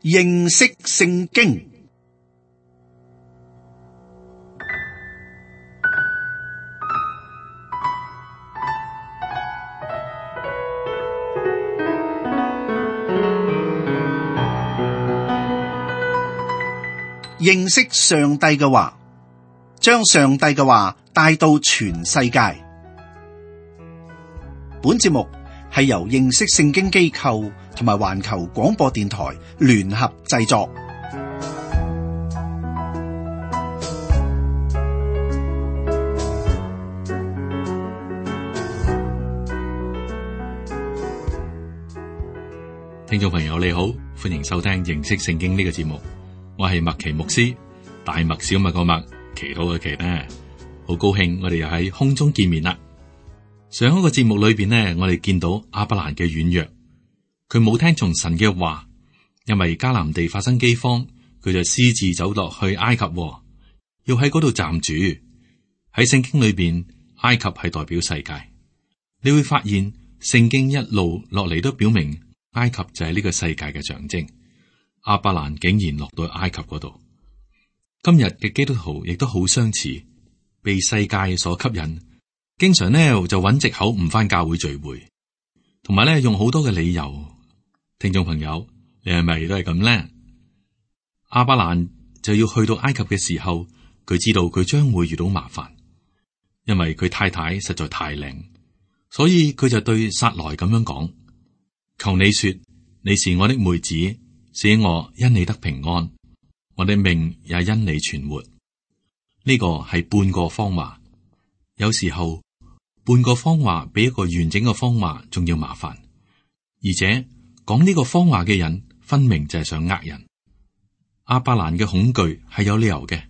認識聖經。認識上帝嘅話，將上帝嘅話帶到全世界。本節目係由認識聖經機構同埋環球廣播電台聯合製作。聽眾朋友你好，歡迎收聽認識聖經呢個節目。我係麥奇牧師，大麥小麥個麥，祈禱嘅祈呢，好高興我哋又喺空中見面啦。上一個節目裏邊呢，我哋見到亞伯蘭嘅軟弱，佢冇聽從神嘅話，因為迦南地發生饑荒，佢就私自走落去埃及，要喺嗰度暫住。喺聖經裏邊，埃及係代表世界，你會發現聖經一路落嚟都表明埃及就係呢個世界嘅象徵。亞伯蘭竟然落到埃及嗰度，今日嘅基督徒亦都好相似，被世界所吸引，經常呢就揾藉口唔返教會聚會，同埋呢用好多嘅理由。聽眾朋友，你係咪都係咁呢？亞伯蘭就要去到埃及嘅時候，佢知道佢將會遇到麻煩，因為佢太太實在太靚，所以佢就對撒萊咁樣講：求你說，你是我的妹子，使我因你得平安，我的命也因你存活。呢個係半個謊話，有時候半個謊話比一個完整嘅謊話仲要麻煩，而且講呢個謊話嘅人分明就係想呃人。亞伯蘭嘅恐懼係有理由嘅，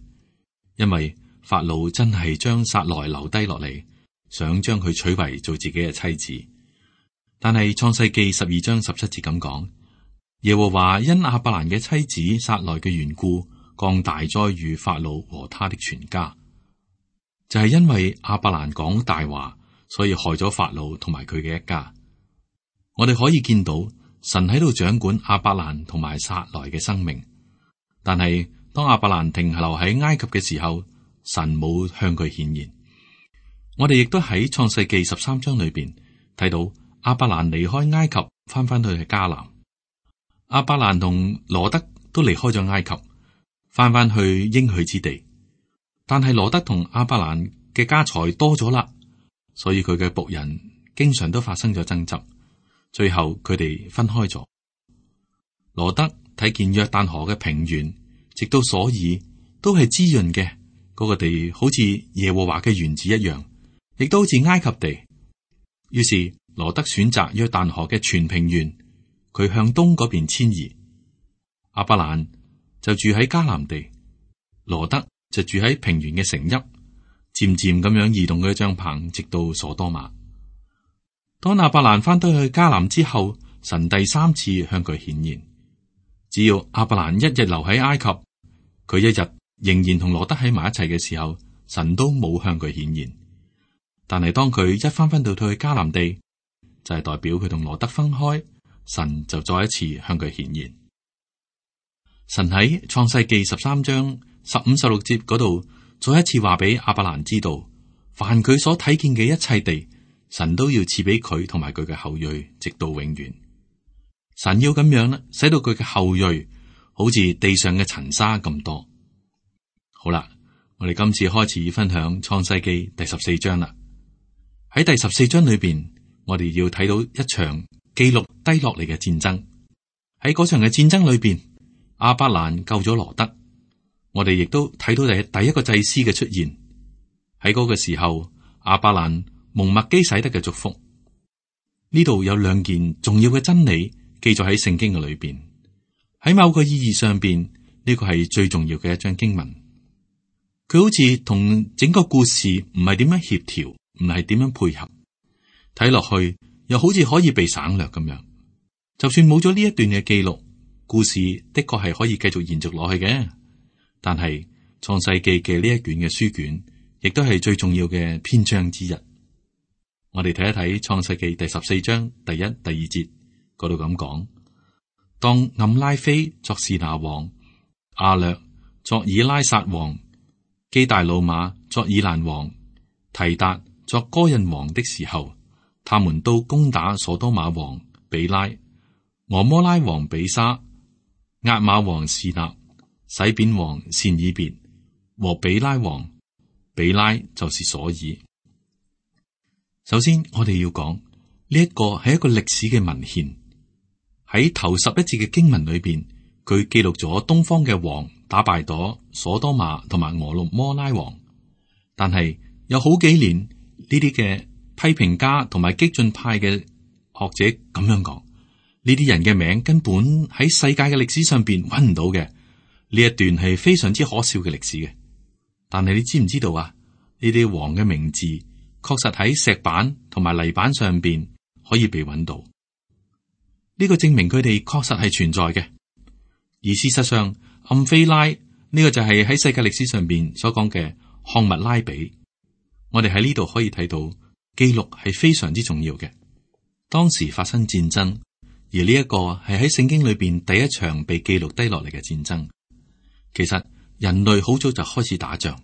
因為法老真係將撒萊留低落嚟，想將佢娶為做自己嘅妻子。但係創世記12章17節咁講，耶和華因亞伯蘭嘅妻子撒萊嘅緣故，降大災與法老和他的全家。就係因為亞伯蘭講大話，所以害咗法老同埋佢嘅一家。我哋可以見到神喺度掌管亞伯蘭同埋撒萊嘅生命，但係當亞伯蘭停留喺埃及嘅時候，神冇向佢顯現。我哋亦都喺創世記13章裏邊睇到亞伯蘭離開埃及，翻返去迦南。亞伯蘭同羅德都離開咗埃及，翻返去應許之地。但係羅德同亞伯蘭嘅家財多咗啦，所以佢嘅僕人經常都發生咗爭執，最後佢哋分開咗。羅德睇見約旦河嘅平原，直到所爾都係滋潤嘅，嗰個地好似耶和華嘅園子一樣，亦都好似埃及地。於是羅德選擇約旦河嘅全平原，佢向東嗰邊遷移。亞伯蘭就住喺迦南地，羅德就住喺平原嘅城邑，漸漸咁樣移動佢嘅帳篷，直到所多瑪。當亞伯蘭翻到去迦南之後，神第三次向佢顯現。只要亞伯蘭一日留喺埃及，佢一日仍然同羅德喺埋一齊嘅時候，神都冇向佢顯現。但係當佢一翻到去迦南地，就係代表佢同羅德分開，神就再一次向佢顯現。神喺創世記13章15、16節嗰度，再一次話俾亞伯蘭知道，凡佢所睇見嘅一切地，神都要賜俾佢同埋佢嘅後裔，直到永遠。神要咁樣咧，使到佢嘅後裔好似地上嘅塵沙咁多。好啦，我哋今次開始分享創世記第14章啦。喺第14章裏邊，我哋要睇到一場記錄低落嚟嘅戰爭。喺嗰場嘅戰爭裏邊，亞伯蘭救咗羅德。我哋亦都睇到第一個祭司嘅出現。喺嗰個時候，亞伯蘭蒙麥基洗德嘅祝福。呢度有兩件重要嘅真理記載喺聖經嘅裏邊。喺某個意義上邊，呢個係最重要嘅一章經文。佢好似同整個故事唔係點樣協調，唔係點樣配合，睇落去又好似可以被省略咁樣。就算冇咗呢一段嘅記錄，故事的確係可以繼續延續落去嘅。但係創世記嘅呢一卷嘅書卷，亦都係最重要嘅篇章之一。我哋睇一睇創世記第14章第1、第2節嗰度咁講：當暗拉菲作示拿王，亞略作以拉撒王，基大魯瑪作以蘭王，提達作哥印王的時候，他們都攻打所多瑪王比拉、俄摩拉王比沙、押瑪王示納、洗扁王善以別和比拉王。比拉就是所爾。首先，我哋要講呢一個係一個歷史嘅文獻。喺頭11節嘅經文裏邊，佢記錄咗東方嘅王打敗咗所多瑪同埋俄摩拉王。但係有好幾年，呢啲嘅批評家同埋激進派嘅學者咁樣講，呢啲人嘅名根本喺世界嘅歷史上邊揾唔到嘅。呢一段係非常之可笑嘅歷史嘅。但係你知唔知道啊？呢啲王嘅名字確實喺石板同埋泥板上邊可以被揾到。呢個證明佢哋確實係存在嘅。而事實上，暗菲拉呢個就係喺世界歷史上邊所講嘅漢密拉比。我哋喺呢度可以睇到記錄係非常之重要嘅。當時發生戰爭，而呢一個係喺聖經裏邊第一場被記錄低落嚟嘅戰爭。其實人類好早就開始打仗，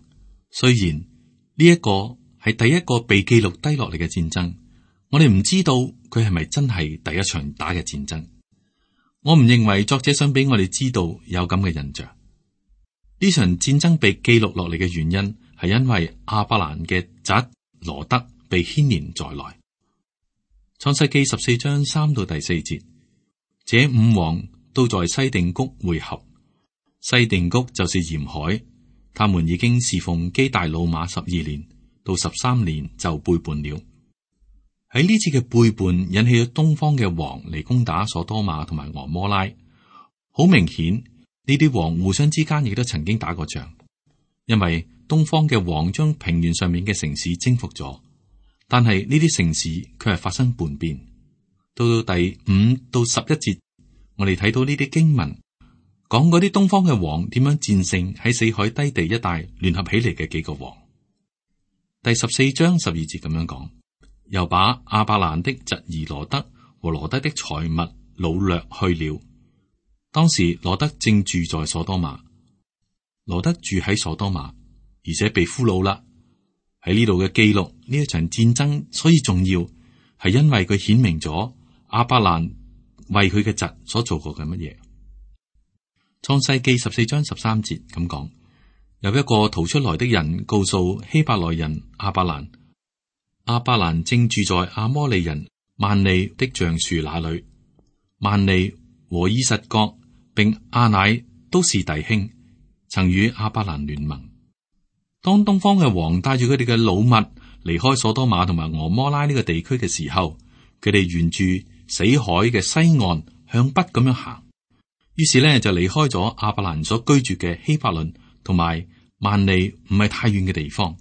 雖然呢一個係第一個被記錄低落嚟嘅戰爭，我哋唔知道佢係咪真係第一場打嘅戰爭。我唔認為作者想俾我哋知道有咁嘅印象。呢場戰爭被記錄落嚟嘅原因係因為亞伯蘭嘅侄羅德被牽連在內。創世記14章3到第4節，這5王都在西定谷會合。西定谷就是鹽海，他們已經侍奉基大魯瑪12年，到13年就背叛了。喺呢次嘅背叛引起咗東方嘅王嚟攻打所多瑪同埋俄摩拉。好明顯，呢啲王互相之間亦都曾經打過仗，因為東方嘅王將平原上面嘅城市征服咗，但係呢啲城市卻係發生叛變。到第5到11節，我哋睇到呢啲經文。講嗰啲東方嘅王點樣戰勝喺死海低地一帶聯合起嚟嘅幾個王。第14章12節咁樣講，又把亞伯蘭的侄兒羅德和羅德的財物擄掠去了。當時羅德正住在所多瑪，羅德住喺所多瑪，而且被俘虜啦。喺呢度嘅記錄呢一場戰爭，所以重要係因為佢顯明咗亞伯蘭為佢嘅侄所做過嘅乜嘢。創世記14章13節咁講，有一個逃出來的人告訴希伯來人亞伯蘭，亞伯蘭正住在亞摩利人曼利的橡樹那裏。曼利和以實各並亞乃都是弟兄，曾與亞伯蘭聯盟。當東方嘅王帶住佢哋嘅老物離開所多瑪同埋俄摩拉呢個地區嘅時候，佢哋沿住死海嘅西岸向北咁樣行。於是咧就離開咗亞伯蘭所居住嘅希伯倫同埋曼利唔係太遠嘅地方。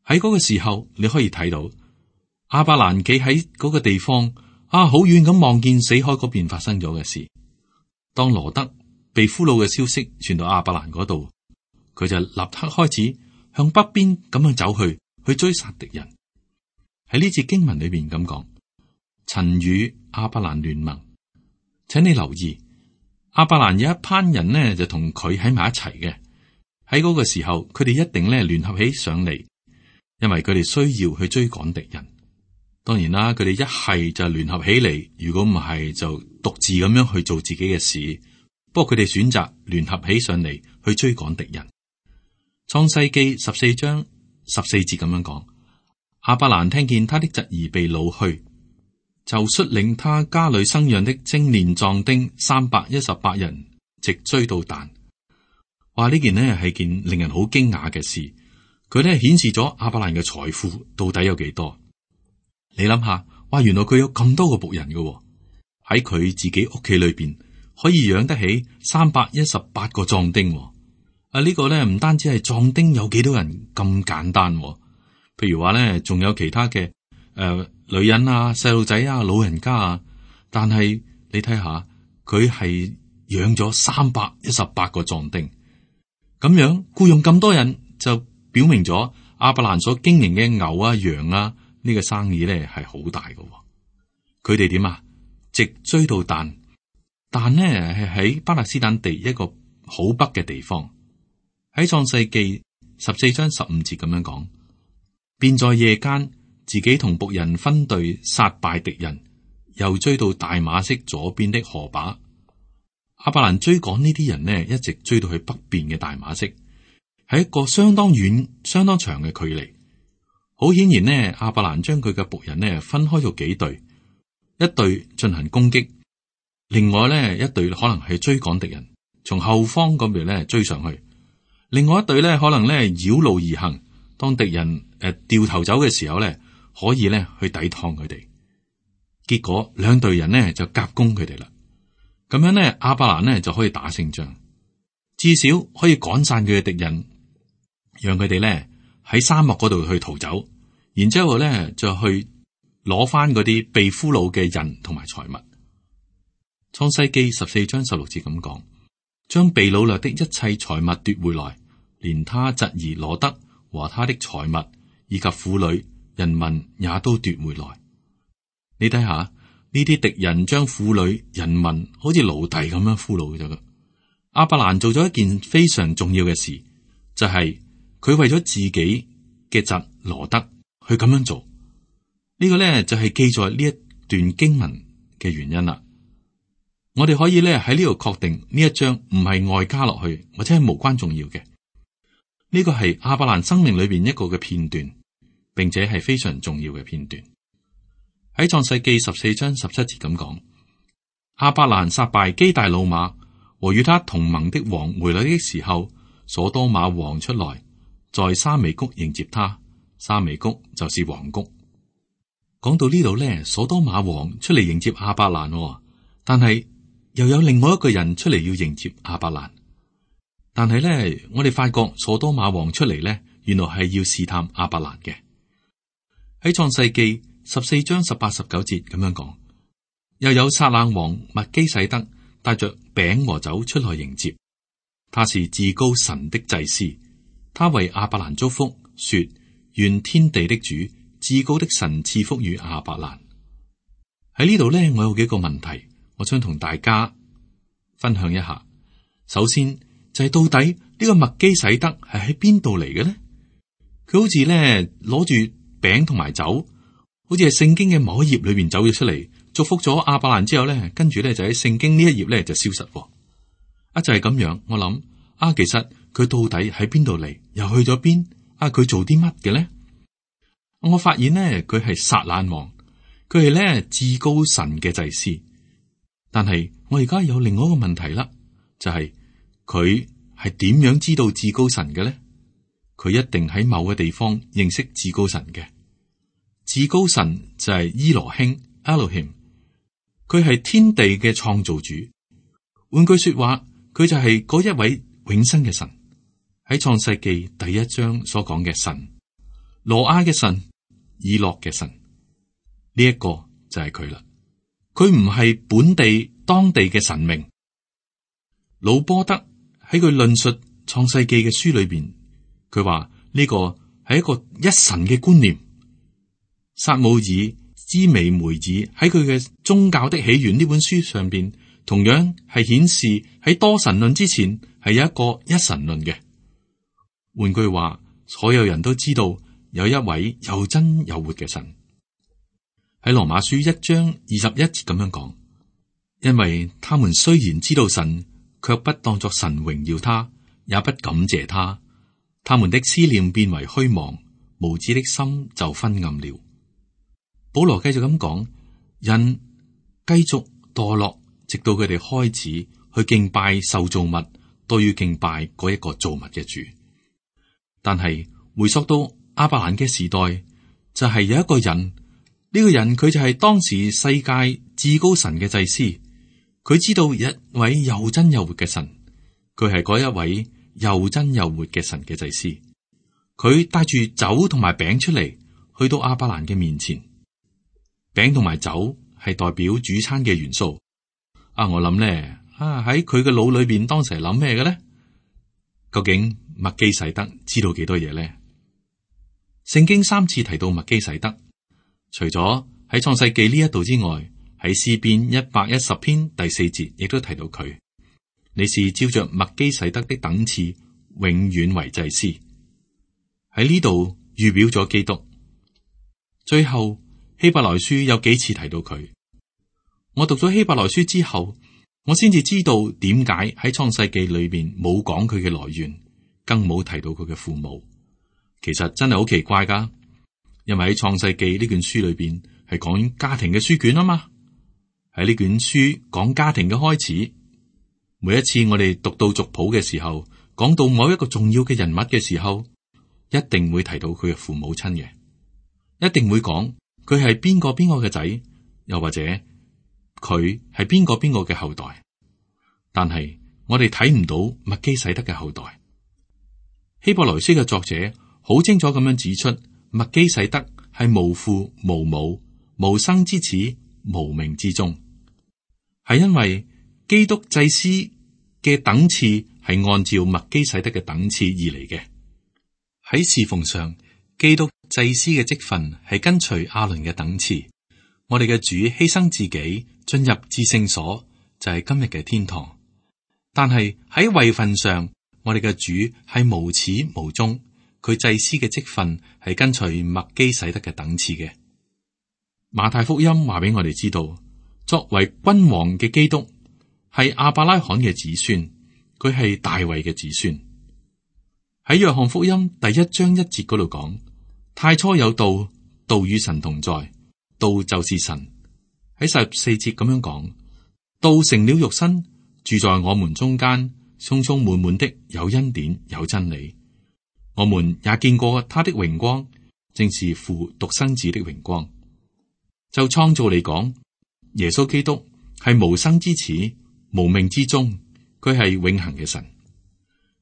喺嗰個時候，你可以睇到亞伯蘭企喺嗰個地方好遠咁望見死海嗰邊發生咗嘅事。當羅德被俘虜嘅消息傳到亞伯蘭嗰度，佢就立刻開始向北邊咁樣走去追殺敵人。喺呢節經文裏邊咁講，曾與亞伯蘭聯盟。請你留意。亞伯蘭有一班人呢，就同佢喺埋一齊嘅。喺嗰個時候，佢哋一定咧聯合起上嚟，因為佢哋需要去追趕敵人。當然啦，佢哋一係就聯合起嚟，如果唔係就獨自咁樣去做自己嘅事。不過佢哋選擇聯合起上嚟去追趕敵人。創世記14章14節咁樣講，亞伯蘭聽見他的侄兒被擄去，就率領他家裏生養的精練壯丁318人，直追到但。話呢件呢係件令人好驚訝嘅事，佢呢顯示咗亞伯蘭嘅財富到底有幾多。你諗下，哇，原來佢有咁多個僕人嘅，喺佢自己屋企裏邊可以養得起318個壯丁。呢個呢唔單止係壯丁有幾多人咁簡單，譬如話呢仲有其他嘅女人啊、細路仔啊、老人家啊，但係你睇下，佢係養咗318個壯丁，咁樣僱傭咁多人，就表明咗亞伯蘭所經營嘅牛啊、羊啊呢個生意咧係好大嘅。佢哋點啊？直追到但，但呢係喺巴勒斯坦地一個好北嘅地方。喺創世記14章15節咁樣講，便在夜間自己同僕人分隊殺敗敵人，又追到大馬色左邊的河把。亞伯蘭追趕呢啲人呢，一直追到去北邊嘅大馬色，係一個相當遠、相當長嘅距離。好顯然呢，亞伯蘭將佢嘅僕人呢分開咗幾隊，一隊進行攻擊，另外呢一隊可能係追趕敵人，從後方嗰邊呢追上去。另外一隊呢可能呢繞路而行，當敵人掉頭走嘅時候呢，可以呢去抵抗佢哋。結果兩隊人呢就夾攻佢哋啦。咁樣呢，亞伯蘭呢就可以打勝仗，至少可以趕散佢嘅敵人，讓佢哋呢喺沙漠嗰度去逃走，然之後呢就去攞翻嗰啲被俘虜嘅人同埋財物。創世記14章16節咁講，將被擄掠的一切財物奪回來，連他侄兒羅得和他的財物以及婦女人民也都奪回來。你睇下呢啲敵人將婦女人民好似奴隸咁樣俘虜咗。亞伯蘭做咗一件非常重要嘅事，就係佢為咗自己嘅侄羅得去咁樣做。呢個咧就係記載呢一段經文嘅原因啦。我哋可以咧喺呢度確定呢一章唔係外加落去，或者係無關重要嘅。呢個係亞伯蘭生命裏邊一個嘅片段，並且係非常重要嘅片段。喺創世記14章17節咁講，亞伯蘭殺敗基大老馬和與他同盟的王回來的時候，所多瑪王出來，在沙微谷迎接他。沙微谷就是王谷。講到呢度咧，所多瑪王出嚟迎接亞伯蘭，但係又有另外一個人出嚟要迎接亞伯蘭。但係咧，我哋發覺所多瑪王出嚟咧，原來係要試探亞伯蘭嘅。喺創世記14章18、19節咁樣講，又有撒冷王麥基洗德帶着餅和酒出來迎接，他是至高神的祭司，他為亞伯蘭祝福，說：願天地的主至高的神賜福與亞伯蘭。喺呢度咧，我有幾個問題，我想同大家分享一下。首先就係到底呢個麥基洗德係喺邊度嚟嘅咧？佢好似咧攞住餅同埋酒，好似係聖經嘅某一頁裏邊走咗出嚟，祝福咗亞伯蘭之後咧，跟住咧就喺聖經呢一頁咧就消失。就係咁樣，我諗其實佢到底喺邊度嚟，又去咗邊？佢做啲乜嘅咧？我發現咧，佢係撒冷王，佢係咧至高神嘅祭司。但係我而家有另外一個問題啦，就係佢係點樣知道至高神嘅咧？佢一定喺某個地方認識至高神嘅。至高神就係伊羅興 Elohim， 佢係天地嘅創造主。換句說話，佢就係嗰一位永生嘅神。喺創世記第1章所講嘅神，羅亞嘅神，以諾嘅神，呢一個就係佢啦。佢唔係本地當地嘅神明。魯波德喺佢論述創世記嘅書裏邊，佢話呢個係一個一神嘅觀念。撒母耳支微梅爾喺佢嘅宗教的起源呢本書上邊，同樣係顯示喺多神論之前係有一個一神論嘅。換句話，所有人都知道有一位又真又活嘅神。喺羅馬書1章21節咁樣講，因為他們雖然知道神，卻不當作神榮耀他，也不感謝他，他們的思念變為虛妄，無知的心就昏暗了。保羅繼續咁講，人繼續墮落，直到佢哋開始去敬拜受造物，都要敬拜嗰一個造物嘅主。但係回溯到亞伯蘭嘅時代，就係有一個人，呢個人佢就係當時世界至高神嘅祭司，佢知道一位又真又活嘅神，佢係嗰一位又真又活嘅神嘅祭司。佢帶住酒同埋餅出嚟，去到亞伯蘭嘅面前。餅同埋酒係代表主餐嘅元素。我諗咧，喺佢嘅腦裏邊當時係諗咩嘅咧？究竟麥基洗德知道幾多嘢咧？聖經3次提到麥基洗德，除咗喺創世記呢一度之外，喺詩篇110篇第4節亦都提到佢，你是照着麥基洗德的等次，永遠為祭司。喺呢度預表咗基督。最後希伯來書有幾次提到佢。我讀咗希伯來書之後，我先至知道點解喺創世記裏邊冇講佢嘅來源，更冇提到佢嘅父母。其實真係好奇怪噶，因為喺創世記呢卷書裏邊係講家庭嘅書卷啊嘛。喺呢卷書講家庭嘅開始，每一次我哋讀到族譜嘅時候，講到某一個重要嘅人物嘅時候，一定會提到佢嘅父母親嘅，一定會講佢係邊個嘅仔，又或者佢係邊個嘅後代。但係我哋睇唔到麥基洗德嘅後代。希伯來書嘅作者好清楚咁樣指出，麥基洗德係無父無母、無生之始、無名之終，係因為基督祭司嘅等次係按照麥基洗德嘅等次而嚟嘅。喺侍奉上，基督祭司嘅職分係跟隨亞倫嘅等次。我哋嘅主犧牲自己進入至聖所，就係今日嘅天堂。但係喺位份上，我哋嘅主係無始無終，佢祭司嘅職分係跟隨麥基洗德嘅等次嘅。馬太福音話俾我哋知道，作為君王嘅基督係亞伯拉罕嘅子孫，佢係大衛嘅子孫。喺約翰福音第1章1節嗰度講，太初有道，道與神同在，道就是神。喺14節咁樣講，道成了肉身，住在我們中間，充充滿滿的有恩典有真理。我們也見過他的榮光，正是父獨生子的榮光。就創造嚟講，耶穌基督係無生之始、無命之終，佢係永恆嘅神。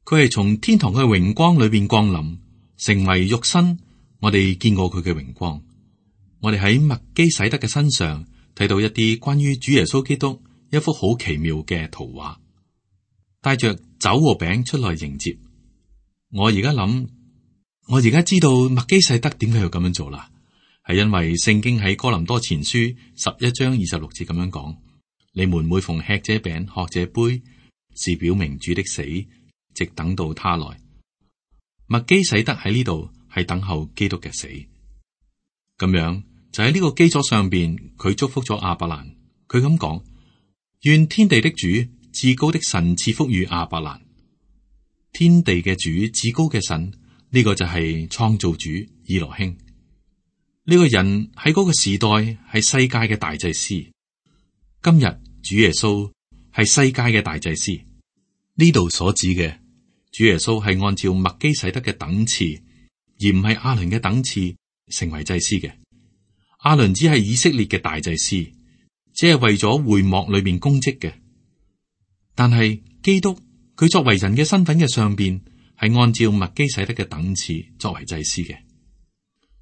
佢係從天堂嘅榮光裏邊降臨，成為肉身。我哋見過佢嘅榮光。我哋喺麥基洗德嘅身上睇到一啲關於主耶穌基督一幅好奇妙嘅圖畫，帶着酒和餅出來迎接。我而家諗，我而家知道麥基洗德點解要咁樣做啦，係因為聖經喺哥林多前書11章26節咁樣講：你們每逢吃這餅、喝這杯，是表明主的死，直等到他來。麥基洗德喺呢度係等候基督嘅死。咁樣就喺呢個基礎上邊，佢祝福咗亞伯蘭。佢咁講：願天地的主、至高的神賜福與亞伯蘭。天地嘅主、至高嘅神，呢個就係創造主以羅興。呢個人喺嗰個時代係世界嘅大祭司。今日主耶穌係世界嘅大祭司。呢度所指嘅主耶穌係按照麥基洗德嘅等次，而唔係亞倫嘅等次成為祭司嘅。亞倫只係以色列嘅大祭司，只係為咗會幕裏面供職嘅。但係基督佢作為人嘅身份嘅上邊，係按照麥基洗德嘅等次作為祭司嘅。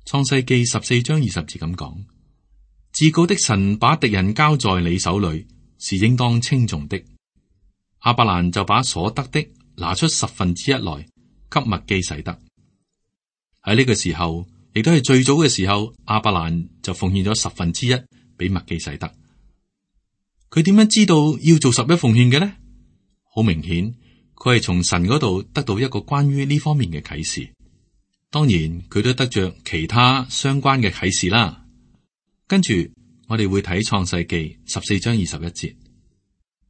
創世記14章20節咁講：至高的神把敵人交在你手裏，是應當稱頌的。亞伯蘭就把所得的拿出1/10來給麥基洗德。喺呢個時候，亦都係最早嘅時候，亞伯蘭就奉獻咗1/10俾麥基洗德。佢點樣知道要做11奉獻嘅呢？好明顯，佢係從神嗰度得到一個關於呢方面嘅啟示。當然，佢都得着其他相關嘅啟示啦。跟住我哋會睇創世記14章21節，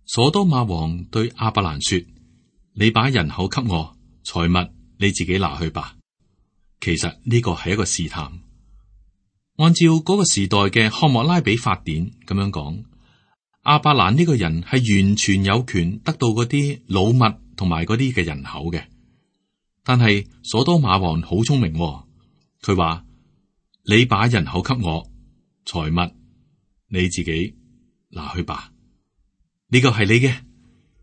所多瑪王對亞伯蘭說：你把人口給我，財物你自己拿去吧。其實呢個係一個試探。按照嗰個時代嘅漢謨拉比法典咁樣講，亞伯蘭呢個人係完全有權得到嗰啲老物同埋嗰啲嘅人口嘅。但係所多瑪王好聰明，佢話：你把人口給我，財物你自己拿去吧。呢個係你嘅。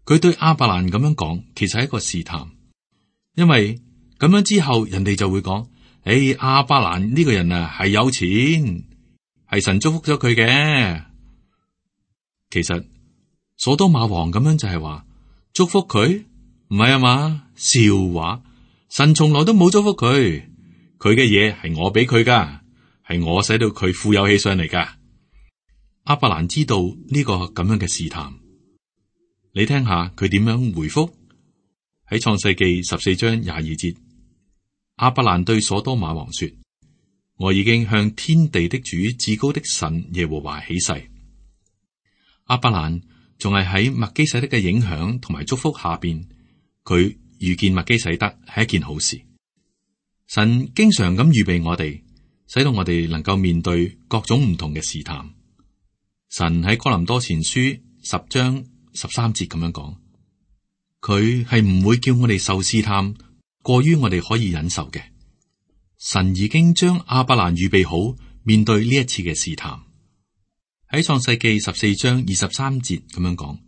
佢對亞伯蘭咁樣講，其實係一個試探，因為咁樣之後，人哋就會講：亞伯蘭呢個人啊係有錢，係神祝福咗佢嘅。其實所多瑪王咁樣就係話祝福佢，唔係啊嘛？笑話，神從來都冇祝福佢，佢嘅嘢係我俾佢噶，係我使到佢富有起上嚟噶。亞伯蘭知道呢個咁樣嘅試探，你聽下佢點樣回覆。喺創世記14章22節，亞伯蘭對所多瑪王說：我已經向天地的主至高的神耶和華起誓。亞伯蘭仲係喺麥基洗德嘅影響同埋祝福下邊，佢遇見麥基洗德係一件好事。神經常咁預備我哋，使到我哋能夠面對各種唔同嘅試探。神喺哥林多前書10章13節咁樣講，佢係唔會叫我哋受試探過於我哋可以忍受嘅。神已經將亞伯蘭預備好面對呢一次嘅試探。喺創世記14章23節咁樣講，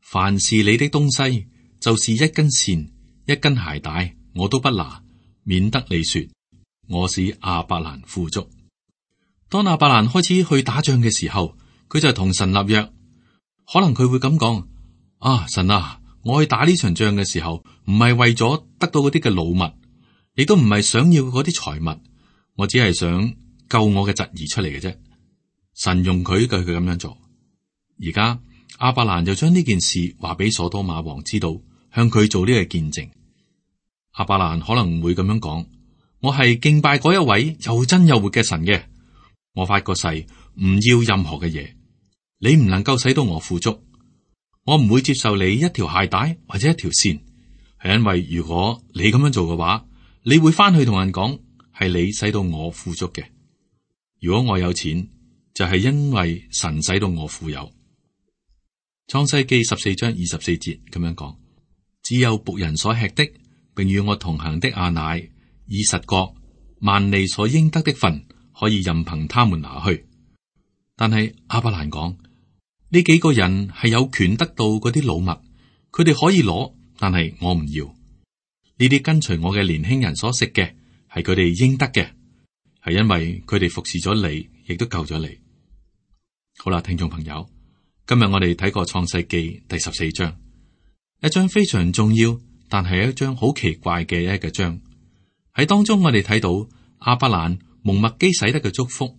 凡是你的東西，就是一根線、一根鞋帶，我都不拿，免得你說我是亞伯蘭富足。當亞伯蘭開始去打仗嘅時候，佢就同神立約，可能佢會咁講：啊，神啊，我去打呢場仗嘅時候，唔係為咗得到嗰啲嘅老物，亦都唔係想要嗰啲財物，我只係想救我嘅侄兒出嚟嘅啫。神容許佢咁樣做。而家亞伯蘭就將呢件事話俾所多瑪王知道，向佢做呢個見證。亞伯蘭可能會咁樣講：我係敬拜嗰一位又真又活嘅神嘅，我發個誓唔要任何嘅嘢。你唔能夠使到我富足，我唔會接受你一條鞋帶或者一條線，係因為如果你咁樣做嘅話，你會翻去同人講係你使到我富足嘅。如果我有錢，就係因為神使到我富有。創世記14章24節咁樣講：只有僕人所吃的，並與我同行的亞乃、以實各、萬利所應得的份，可以任憑他們拿去。但係亞伯蘭講，呢幾個人係有權得到嗰啲老物，佢哋可以攞，但係我唔要。呢啲跟隨我嘅年輕人所食嘅，係佢哋應得嘅，係因為佢哋服侍咗你，亦都救咗你。好啦，聽眾朋友，今日我哋睇過創世記第14章，一章非常重要，但係一章好奇怪嘅一個章。喺當中我哋睇到亞伯蘭蒙麥基洗德嘅祝福，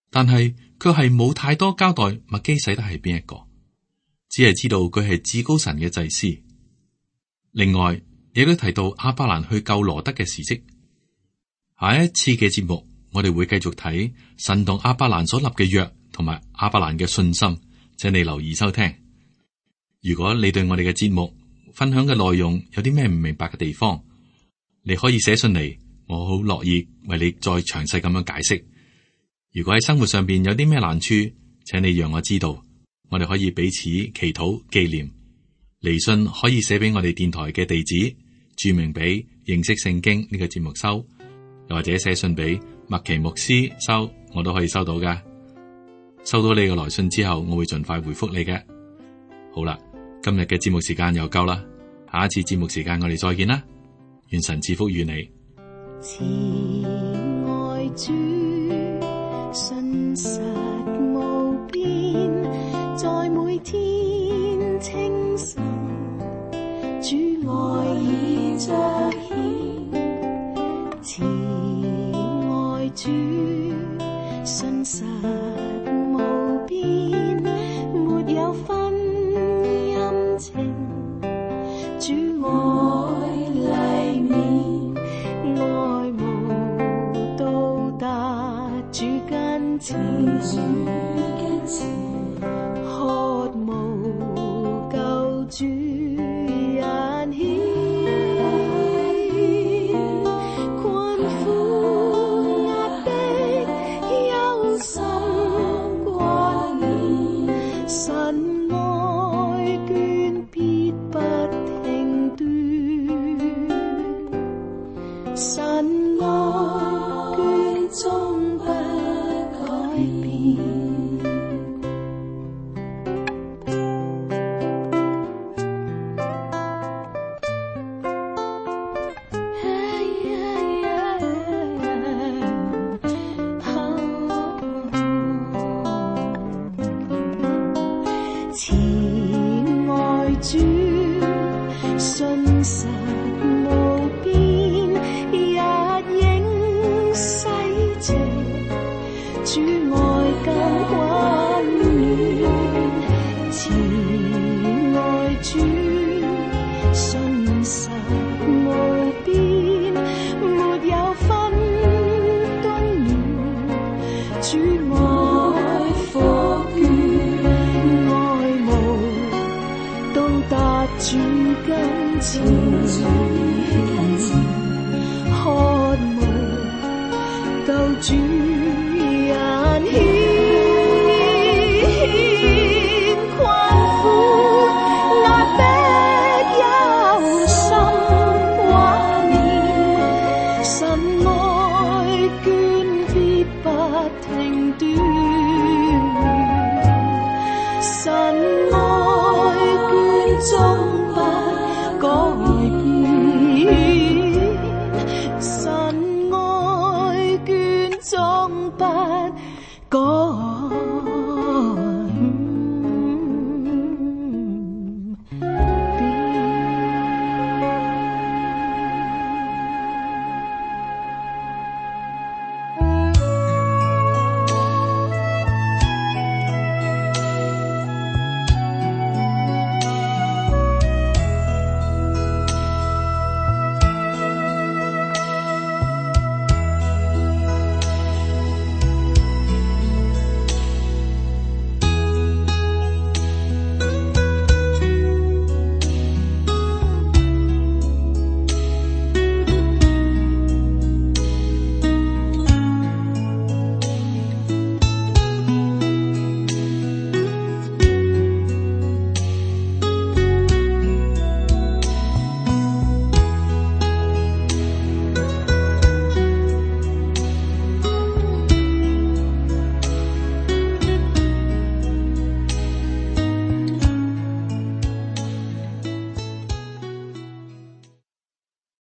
但係卻係冇太多交代麥基洗德係邊一個，只係知道佢係至高神嘅祭司。另外亦都提到亞伯蘭去救羅得嘅事蹟。下一次嘅節目，我哋會繼續睇神同亞伯蘭所立嘅約，同埋亞伯蘭嘅信心，請你留意收聽。如果你對我哋嘅節目分享嘅內容有啲咩唔明白嘅地方，你可以寫信嚟，我好樂意為你再詳細咁樣解釋。如果喺生活上邊有啲咩難處，請你讓我知道，我哋可以彼此祈禱紀念。嚟信可以寫俾我哋電台嘅地址，注明俾認識聖經呢個節目收，又或者寫信俾麥奇牧師收，我都可以收到噶。收到你嘅來信之後，我會盡快回覆你嘅。好啦，今日嘅節目時間又夠啦，下一次節目時間我哋再見啦，願神賜福與你。慈愛主，信實無邊，在每天清晨，主愛已彰顯。慈愛主，信實無邊，沒有分陰晴，主愛黎明，愛慕到達主跟前，渴慕救主引牽，困苦壓迫憂心掛念，神愛眷必不停斷，神愛眷終不改變。慈愛主，信實無邊，日影洗淨，主愛更溫暖。信實無邊，沒有分敦了，主愛復原，愛慕到達主跟前。